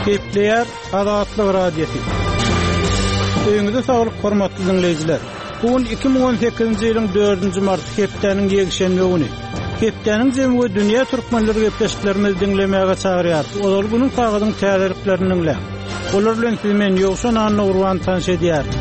Gepleýär Azatlyk Radiosy. Öýüňize saglyk hormatly diňleýjiler. Bu gün 2018-nji ýylyň 4-nji marty hepdäniň ýekşenbe güni. Hepdäniň jemi we dünýä türkmenleri gepleşiklerimizi diňlemäge çagyrýarys. Ozal günüň sagadyň täzeliklerini diňläň. Olar bilen sizi men Ýowşan Annagurban tanyş edýärin.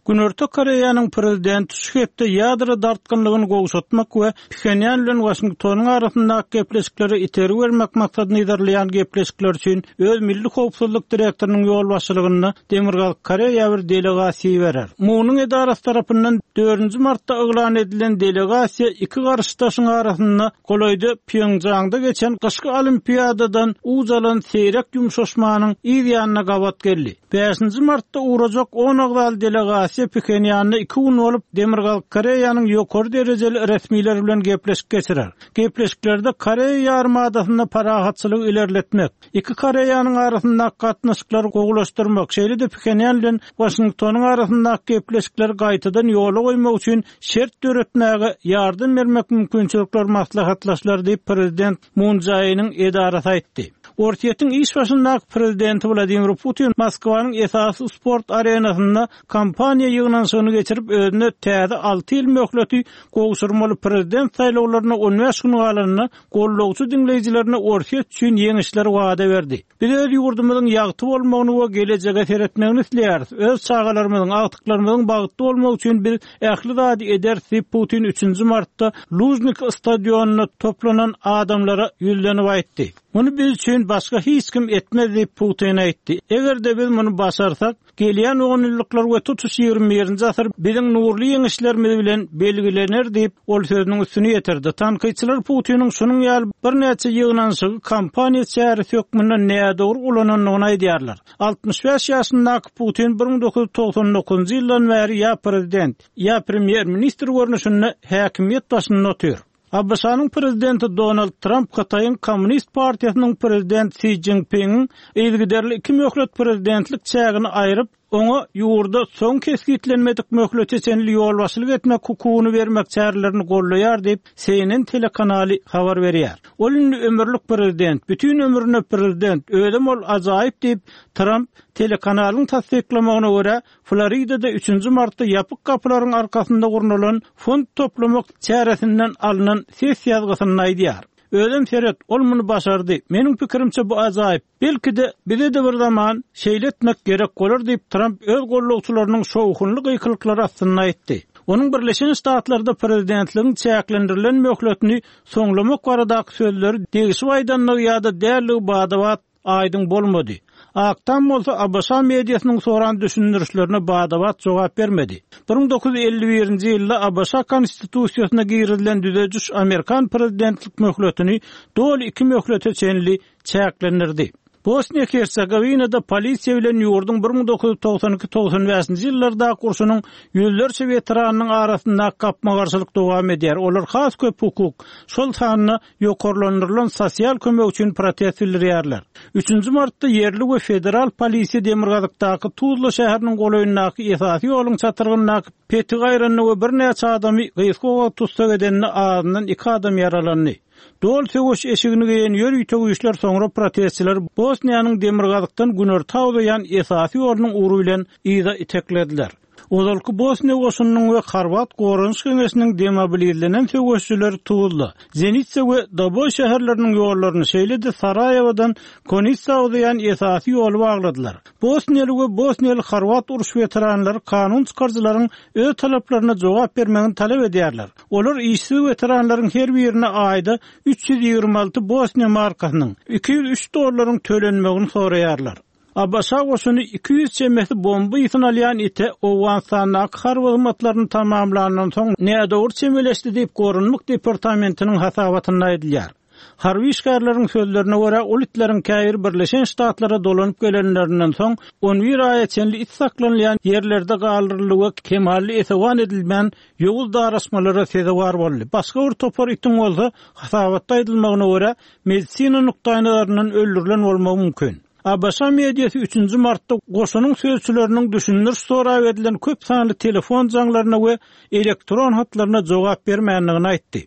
Günorta Koreýanyň prezidenti şu hepde ýadro dartgynlygyny gowşatmak we Phenýan bilen Waşingtonyň arasyndaky gepleşiklere itergi bermek maksadyny yzarlaýan gepleşikler üçin öz milli howpsuzlyk direktorynyň ýolbaşçylygynda Demirgazyk Koreýa bir delegasiýa iberer. Munuň edarasy tarapyndan dördünji martda yglan edilen delegasiýa iki garşydaşyň arasynda golaýda Pýongjaňda geçen gyşky Olimpiadadan uç alan seýrek ýumşaşmanyň yz ýanyna gabat geldi. Bäşinji martda ugrajak on agzaly delegasiýa Phenýanda iki gün bolup, Demirgazyk Koreýanyň ýokary derejeli resmileri bilen gepleşik geçirer. Gepleşiklerde Koreýa ýarymadasynda parahatçylygy ilerletmek, iki Koreýanyň arasyndaky gatnaşyklary gowulaşdyrmak, şeýle-de Phenýan bilen Waşingtonyň arasyndaky gepleşikleri gaýtadan ýola goýmak üçin şert döretmäge ýardam bermek mümkinçilikleri maslahatlaşylar diýip, prezident Mun Jae-iniň edarasy aýtdy. Orsýetiň iş başyndaky prezidenti Wladimir Putin Moskwanyň esasy sport arenasynda kampaniýa ýygnanyşygyny geçirip, özüne täze alty ýyl möhleti gowşurmaly prezident saýlawlaryna on bäş gün galanda gollagçy diňleýjilerine Orsýet üçin ýeňişleri wada berdi. Biz öz ýurdumyzyň ýagty bolmagyny we gelejege seretmegini isleýäris. Öz çagalarymyzyň, agtyklarymyzyň bagtly bolmagy üçin biz ähli zady ederis diýip, Putin üçünji martda Lužniki stadionynda toplanan adamlara ýüzlenip aýtdy. Muny biz üçin başga hiç kim etmez diýip, Putin aýtdy. Eger-de biz muny başarsak, Gelýän onýyllyklar we tutuş ýigrimi birinji asyr biziň nurly ýeňişlerimiz bilen belgilener diýip, ol sözüniň üstüni ýetirdi. Tankytçylar Putiniň şunuň ýaly birnäçe ýygnanyşygy kampaniýa çäresi hökmünde nädogry ulanandygyny aýdýarlar. 65 ýaşyndaky Putin 1999-njy ýyldan bäri ýa prezident, ýa premýer-ministr görnüşinde häkimiýet başynda otyr. ABŞ-nyň prezidenti Donald Tramp Hytaýyň Kommunist partiýasynyň prezident Si Szinpingiň yzygiderli iki möhlet prezidentlik çägini aýryp, oňa ýurda soň kesgitlenmedik möhlete çenli ýolbaşçylyk etmek hukugyny bermek çärelerini goldaýar diýip, CNN telekanaly habar berýär. Ol indi ömürlik prezident, bütin ömrüne prezident, özem ol ajaýyp diýip, Tramp, telekanalyň tassyklamagyna görä, Floridada üçünji martda ýapyk gapylaryň arkasynda gurnalan fond toplamak çäresinden alnan ses ýazgysynda aýdýar. Özem seret, ol muny başardy. Meniň pikirimçe bu ajaýyp. Belki-de, bize-de bir zaman şeýle etmek gerek bolar diýip, Tramp öz gollagçylarynyň şowhunly gykylyklary astynda aýtdy. Onuň Birleşen Ştatlarda prezidentligiň çäklendirilen möhletini soňlamak baradaky sözleri degişip aýdandygy ýa-da däldigi bada-bat aýdyň bolmady. Ak Tam bolsa ABŞ mediasynyň soran düşündirişlerine bada-bat jogap bermedi. 1951-nji ýylda ABŞ Konstitusiýasyna girizilen düzediş amerikan prezidentlik möhletini doly iki möhlete çenli çäklendirdi. Bosniýa-Hersegowinada polisiýa bilen ýurduň 1992 95-nji ýyllardaky urşunyň ýüzlerçe weteranynyň arasyndaky gapma-garşylyk dowam edýär, olar has köp hukuk, şol sanda ýokarlandyrylan sosial kömek üçin protest bildirýärler. Üçünji martda ýerli we federal polisiýa demirgazykdaky Tuzla şäheriniň golaýyndaky esasy ýoluň çatrygyndaky petigi aýranda we birnäçe adamy gysga wagt tussag edende azyndan iki adam ýaralandy. Doly söweş eşigini geýen ýörite güýçler soňra protestçileri Bosniýanyň demirgazykdan günorta uzaýan esasy ýolunyň ugry bilen yza iteklediler. Ozalky Bosniýa goşunynyň we Horwat goranyş geňeşiniň demobilizlenen söweşijileri Tuzla, Zenitsa we Doboý şäherleriniň ýollaryny, şeýle-de Saraýewodan Konitsa uzaýan esasy ýoly bagladylar. Bosniýaly we bosniýaly-horwat uruş weteranlary kanun çykaryjylaryň öz talaplaryna jogap bermegini talap edýärler. Olar işsiz weteranlaryň her birine aýda 326 bosniýa markasynyň, 203 dollaryň tölenmegini soraýarlar. ABŞ goşuny 200 çemesi bomba ysyny alýan ite Owganystandaky harby hyzmatlaryny tamamlandan soň nädogry çemeleşdi diýip, Goranmak departamentiniň hasabatynda aýdylýar. Harby işgärleriň sözlerine görä, ol itleriň käbiri Birleşen Ştatlara dolanyp gelenlerinden soň on bir aýa çenli it saklanylýan ýerlerde galdyryldy we kemally esewan edilmän ýowuz daraşmalara sezewar boldy. Başga bir topar itiň bolsa, hasabatda aýdylmagyna görä, medisina nukdaýnazaryndan öldürilen bolmagy mümkin. ABŞ mediasy üçünji martda goşunyň sözçüleriniň düşündiriş sorap edilen köp sanly telefon jaňlaryna we elektron hatlaryna jogap bermändigini aýtdy.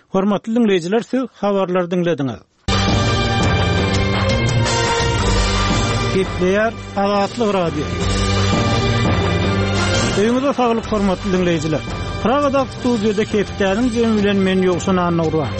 Hormatly diňleýjiler, siz habarlary diňlediňiz. Gepleýär Azatlyk Radiosy. Öýüňize saglyk hormatly diňleýjiler. Pragadaky studiýada hepdäniň jemi bilen men Ýowşan Annagurban.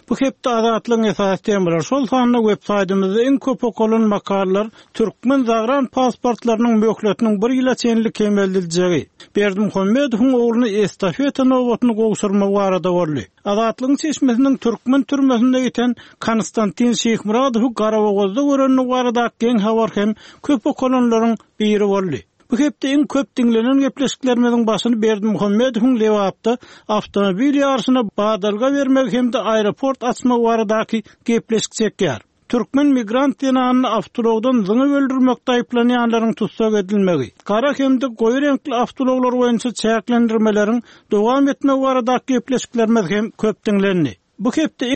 Bu hepde Azatlygyň esasy temalary, şol sanda web saýtymyzda iň köp okalan makalalar türkmen zagran pasportlarynyň möhletiniň bir ýyla çenli kemeldiljegi, Berdimuhamedowyň ogluny estafeta nobatyny gowşurmagy barada boldy. Azatlygyň çeşmesiniň türkmen türmesinde ýiten Konstantin Şyhmyradowy Garabogazda görendigi baradaky geň habar hem köp okalanlaryň biri boldy. Bu hepde iň köp diňlenen gepleşiklerimiziň başyny Berdimuhamedowyň Lebapda awtomobil ýaryşyna badalga bermegi hem-de aeroport açmagy baradaky gepleşik çekýär. Türkmen migrant zenanyny awtoulagdan zyňyp öldürmekde aýyplanýanlaryň tussag edilmegi, gara hem-de goýy reňkli awtoulaglar boýunça çäklendirmeleriň dowam etmegi baradaky gepleşiklerimiz hem köp diňlendi. Bu hepde.